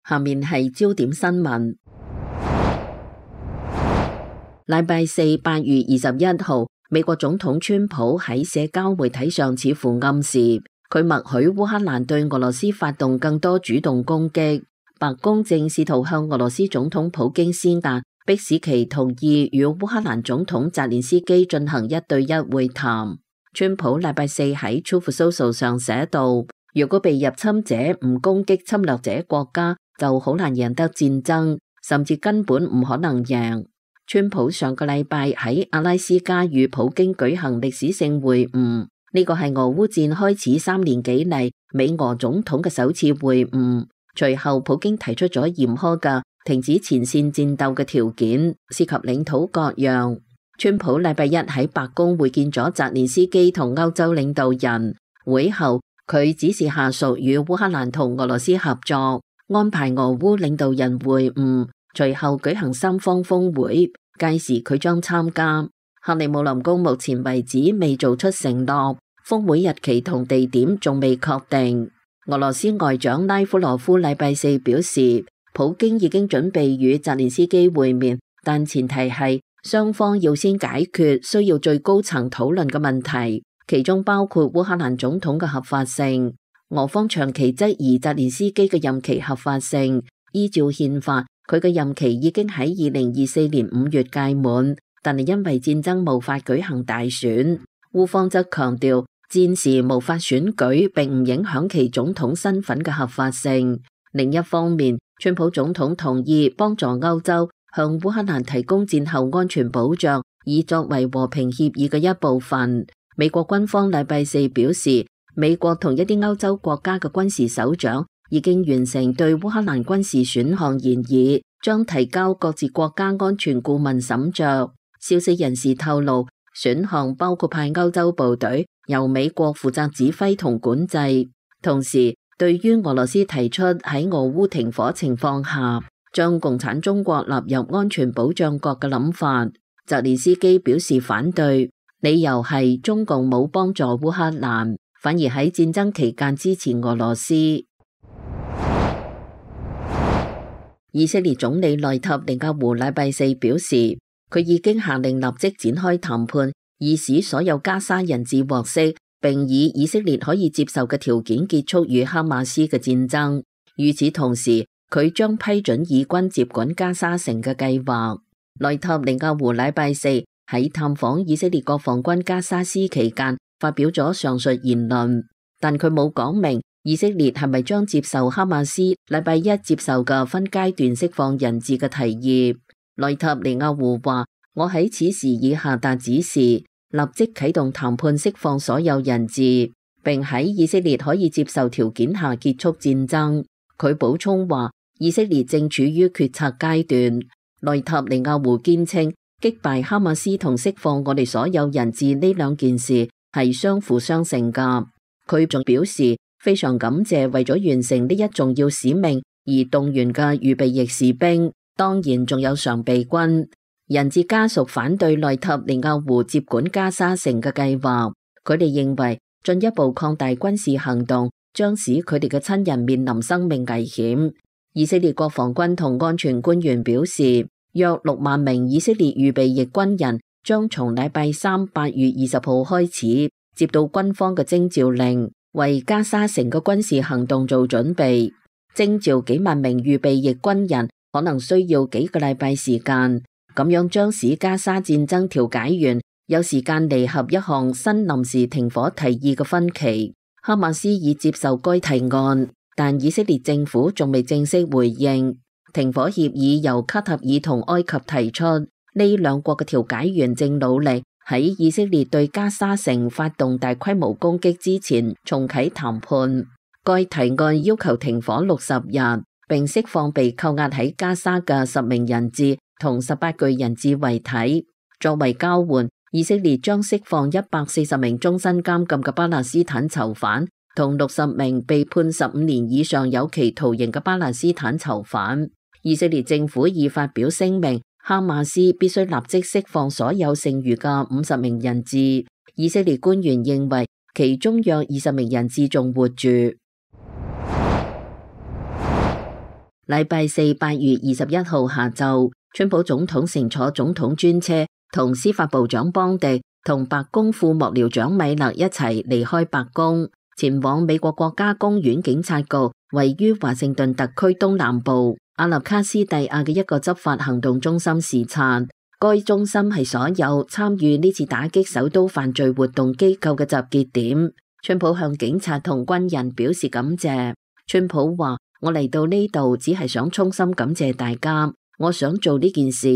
下面係焦點新聞。禮拜四8月21號，美國總統川普喺社交媒體上似乎暗示佢默許烏克蘭對俄羅斯發動更多主動攻擊。白宮正試圖向俄羅斯總統普京施壓，迫使其同意與烏克蘭總統澤連斯基進行1對1會談。川普禮拜四喺 Truth Social 上寫道：如果被入侵者唔攻擊侵略者國家，就好難贏得戰爭，甚至根本唔可能贏。川普上個禮拜喺阿拉斯加與普京舉行歷史性會晤，呢個係俄烏戰開始3年幾嚟美俄總統嘅首次會晤。隨後普京提出咗嚴苛嘅停止前線戰鬥嘅條件，涉及領土割讓。川普禮拜一喺白宮會見咗澤連斯基同歐洲領導人，會後佢指示下屬與烏克蘭同俄羅斯合作，安排俄烏領導人會晤。隨後舉行三方峰會，屆時佢將參加。克里姆林宮目前為止未做出承諾，峰會日期同地點仲未確定。俄羅斯外長拉夫羅夫禮拜四表示，普京已經準備與澤連斯基會面，但前提係雙方要先解決需要最高層討論嘅問題，其中包括烏克蘭總統嘅合法性。俄方長期質疑澤連斯基嘅任期合法性，依照憲法，佢嘅任期已經喺2024年5月屆滿，但係因為戰爭無法舉行大選。烏方則強調，戰時無法選舉並唔影響其總統身份嘅合法性。另一方面，川普總統同意幫助歐洲向烏克蘭提供戰後安全保障，以作為和平協議嘅一部分。美國軍方禮拜四表示，美國同一啲歐洲國家嘅軍事首長已經完成對烏克蘭軍事選項研議，將提交各自國家安全顧問審酌。消息人士透露，選項包括派歐洲部隊由美國負責指揮同管制。同時，對於俄羅斯提出喺俄烏停火情況下將共產中國納入安全保障國嘅諗法，澤連斯基表示反對，理由係中共冇幫助烏克蘭，反而喺戰爭期間支持俄羅斯。以色列總理內塔尼亞胡禮拜四表示，佢已經下令立即展開談判，以使所有加沙人質獲釋，並以以色列可以接受嘅條件結束與哈馬斯嘅戰爭。與此同時，佢將批准以軍接管加沙城嘅計劃。內塔尼亞胡禮拜四喺探訪以色列國防軍加沙斯期間發表咗上述言論，但佢冇講明以色列係咪將接受哈馬斯禮拜一接受嘅分階段釋放人質嘅提議。內塔尼亞胡話：我喺此時已下達指示，立即啟動談判釋放所有人質，並喺以色列可以接受條件下結束戰爭。佢補充話，以色列正處於決策階段。內塔尼亞胡堅稱，擊敗哈馬斯同釋放我哋所有人質呢兩件事係相輔相成㗎。佢仲表示，非常感謝為咗完成呢一重要使命而動員嘅預備役士兵，當然仲有常備軍。人質家屬反對內塔尼亞胡接管加沙城嘅計劃，佢哋認為進一步擴大軍事行動將使佢哋嘅親人面臨生命危險。以色列國防軍同安全官員表示，約6萬名以色列預備役軍人將從禮拜三8月20號開始接到軍方嘅徵召令，為加沙城嘅軍事行動做準備。徵召幾萬名預備役軍人可能需要幾個禮拜時間，咁樣將使加沙戰爭調解員有時間彌合一項新臨時停火提議嘅分歧。哈馬斯已接受該提案，但以色列政府仲未正式回應。停火協議由卡塔爾同埃及提出，呢兩國嘅調解員正努力喺以色列對加沙城發動大規模攻擊之前重啟談判。該提案要求停火60日，並釋放被扣押喺加沙嘅10名人質同18具人質遺體。作為交換，以色列將釋放140名終身監禁嘅巴勒斯坦囚犯，同60名被判15年以上有期徒刑嘅巴勒斯坦囚犯。以色列政府已發表聲明，哈馬斯必須立即釋放所有剩餘嘅50名人質。以色列官員認為，其中約20名人質仲活住。禮拜四8月21號下晝，川普總統乘坐總統專車，同司法部長邦迪同白宮副幕僚長米勒一齊離開白宮，前往美國國家公園警察局位於華盛頓特區東南部阿納卡斯蒂亞嘅一個執法行動中心視察。該中心係所有參與呢次打擊首都犯罪活動機構嘅集結點。川普向警察同軍人表示感謝。川普話：我嚟到呢度只係想衷心感謝大家，我想做呢件事，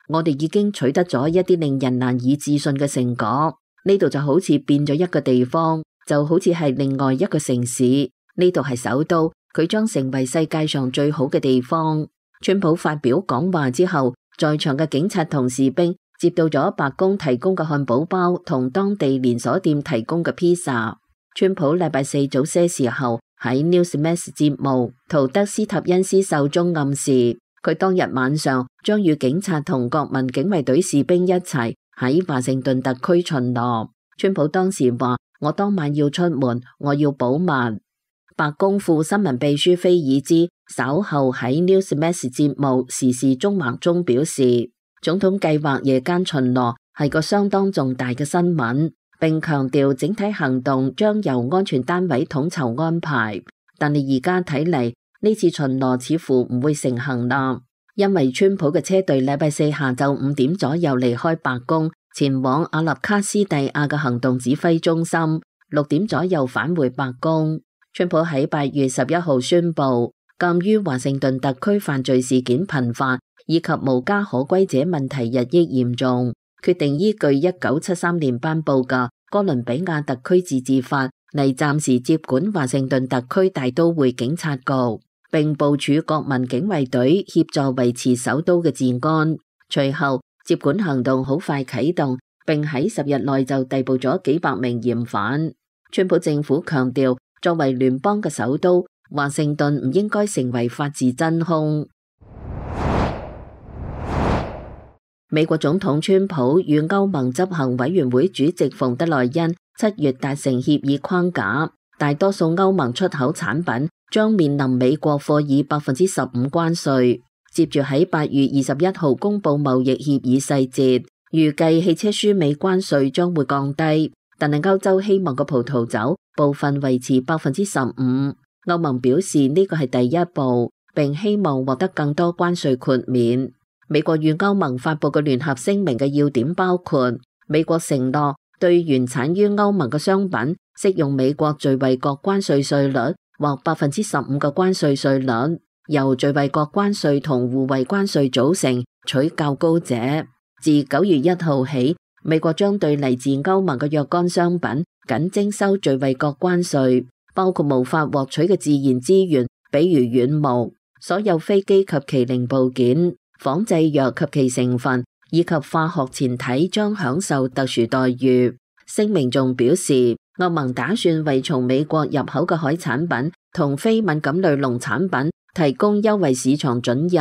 我哋已經取得咗一啲令人難以置信嘅成果。呢度就好似變咗一個地方，就好似係另外一個城市。呢度係首都，佢將成為世界上最好嘅地方。川普發表講話之後，在場嘅警察同士兵接到咗白宮提供嘅漢堡包同當地連鎖店提供嘅披薩。川普禮拜四早些時候喺 Newsmax 節目圖德斯塔恩斯秀中暗示，佢當日晚上將與警察同國民警衛隊士兵一齊喺華盛頓特區巡邏。川普當時話：我當晚要出門，我要保密。白宮副新聞秘書菲爾茲稍後喺 Newsmax 節目時事中橫中表示，總統計劃夜間巡邏係個相當重大嘅新聞，並強調整體行動將由安全單位統籌安排。但係而家睇嚟，呢次巡邏似乎唔會成行啦，因為川普嘅車隊禮拜四下晝5點左右離開白宮，前往阿納卡斯蒂亞嘅行動指揮中心，6點左右返回白宮。川普喺8月11號宣布，鑒於華盛頓特區犯罪事件頻發，以及無家可歸者問題日益嚴重，決定依據1973年頒布嘅哥倫比亞特區自治法嚟暫時接管華盛頓特區大都會警察局，並部署國民警衛隊協助維持首都嘅治安。隨後接管行動好快啟動，並喺10日內就逮捕咗幾百名嫌犯。川普政府強調，作為聯邦嘅首都，華盛頓唔應該成為法治真空。美國總統川普與歐盟執行委員會主席馮德萊恩7月達成協議框架，大多數歐盟出口產品將面臨美國課以15%關稅。接住喺8月21號公布貿易協議細節，預計汽車輸美關稅將會降低，但係歐洲希望嘅葡萄酒部分維持15%。歐盟表示呢個係第一步，並希望獲得更多關稅豁免。美國與歐盟發布嘅聯合聲明嘅要點包括：美國承諾對原產於歐盟嘅商品適用美國最惠國關稅稅率或15%嘅關稅稅率，由最惠國關稅同互惠關稅組成，取較高者。自9月1號起，美國將對嚟自歐盟嘅若干商品僅徵收最惠國關稅，包括無法獲取嘅自然資源，比如軟木、所有飛機及其零部件、仿製藥及其成分，以及化學前體將享受特殊待遇。聲明仲表示，歐盟打算為從美國入口嘅海產品同非敏感類農產品提供優惠市場准入。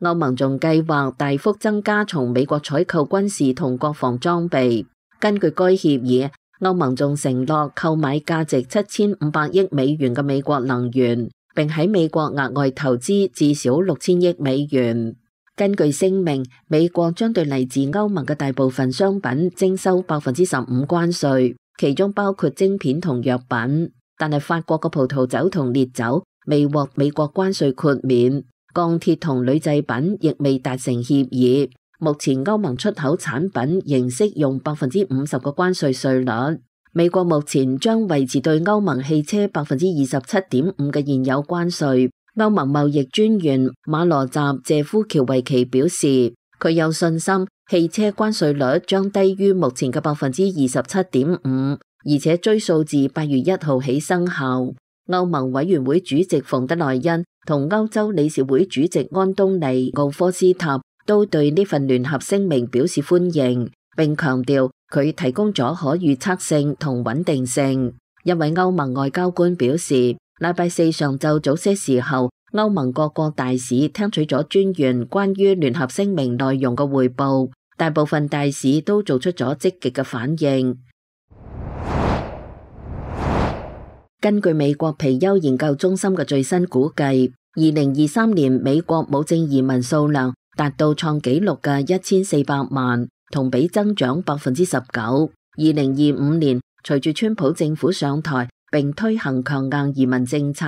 歐盟仲計劃大幅增加從美國採購軍事同國防裝備。根據該協議，歐盟仲承諾購買價值7500億美元嘅美國能源，並喺美國額外投資至少6000億美元。根據聲明，美國將對嚟自歐盟嘅大部分商品徵收15%關稅，其中包括晶片同藥品。但係法國嘅葡萄酒同烈酒未獲美國關稅豁免，鋼鐵同鋁製品亦未達成協議。目前歐盟出口產品仍適用50%嘅關稅稅率。美國目前將維持對歐盟汽車27.5%嘅現有關稅。歐盟貿易專員馬羅扎謝夫喬維奇表示，佢有信心汽車關稅率將低於目前嘅27.5%，而且追溯至8月1號起生效。歐盟委員會主席馮德萊恩同歐洲理事會主席安東尼奧科斯塔都對呢份聯合聲明表示歡迎，並強調佢提供咗可預測性同穩定性。一位歐盟外交官表示，禮拜四上晝早些時候，歐盟各國大使聽取咗專員關於聯合聲明內容嘅匯報，大部分大使都做出咗積極嘅反應。根據美國皮尤研究中心嘅最新估計， 2023年美國無證移民數量達到創紀錄嘅1400萬，同比增長19%。2025年隨住川普政府上台並推行強硬移民政策，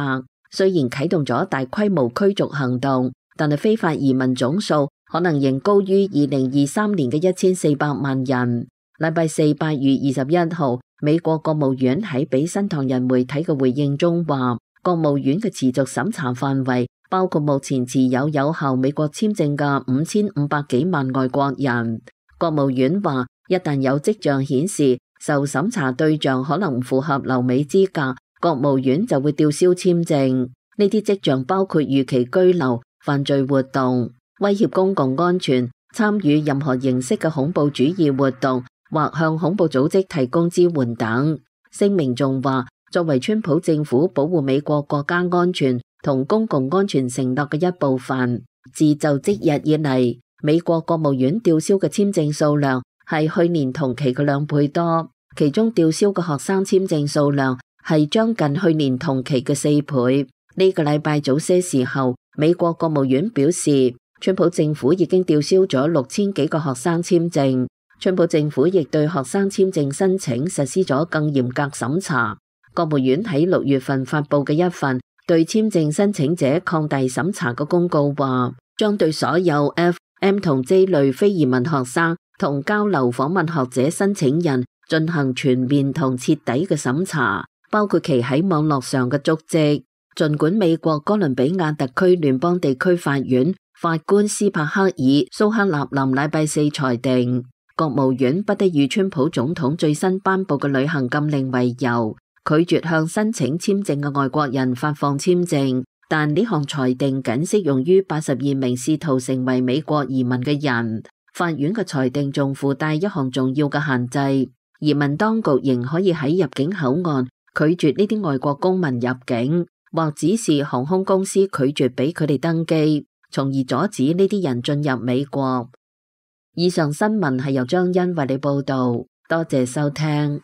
雖然啟動咗大規模驅逐行動，但係非法移民總數可能仍高於2023年嘅1400萬人。禮拜四8月21號，美國國務院喺俾新唐人媒體嘅回應中話，國務院嘅持續審查範圍包括目前持有有效美國簽證嘅5500幾萬外國人。國務院話，一旦有跡象顯示受審查對象可能唔符合留美資格，國務院就會吊銷簽證。呢啲跡象包括逾期居留、犯罪活動、威脅公共安全、參與任何形式嘅恐怖主義活動或向恐怖組織提供支援等。聲明仲話，作為川普政府保護美國國家安全同公共安全承諾嘅一部分，自就職日以嚟，美國國務院吊銷嘅簽證數量係去年同期嘅2倍多，其中吊銷嘅學生簽證數量係將近去年同期嘅4倍。呢個禮拜早些時候，美國國務院表示，川普政府已經吊銷咗6000幾個學生簽證。川普政府亦對學生簽證申請實施咗更嚴格審查。國務院喺6月份發布嘅一份對簽證申請者擴大審查嘅公告話，將對所有 F、M 同 J 類非移民學生同交流訪問學者申請人進行全面同徹底嘅審查，包括其喺網絡上嘅足跡。儘管美國哥倫比亞特區聯邦地區法院法官斯帕克爾蘇克納林禮拜四裁定，國務院不得以川普總統最新頒布嘅旅行禁令為由，拒絕向申請簽證嘅外國人發放簽證，但呢項裁定僅適用於82名試圖成為美國移民嘅人。法院嘅裁定仲附帶一項重要嘅限制，移民當局仍可以喺入境口岸拒絕呢啲外國公民入境，或指示航空公司拒絕俾佢哋登機，從而阻止呢啲人進入美國。以上新聞係由張欣為你報道，多謝收聽。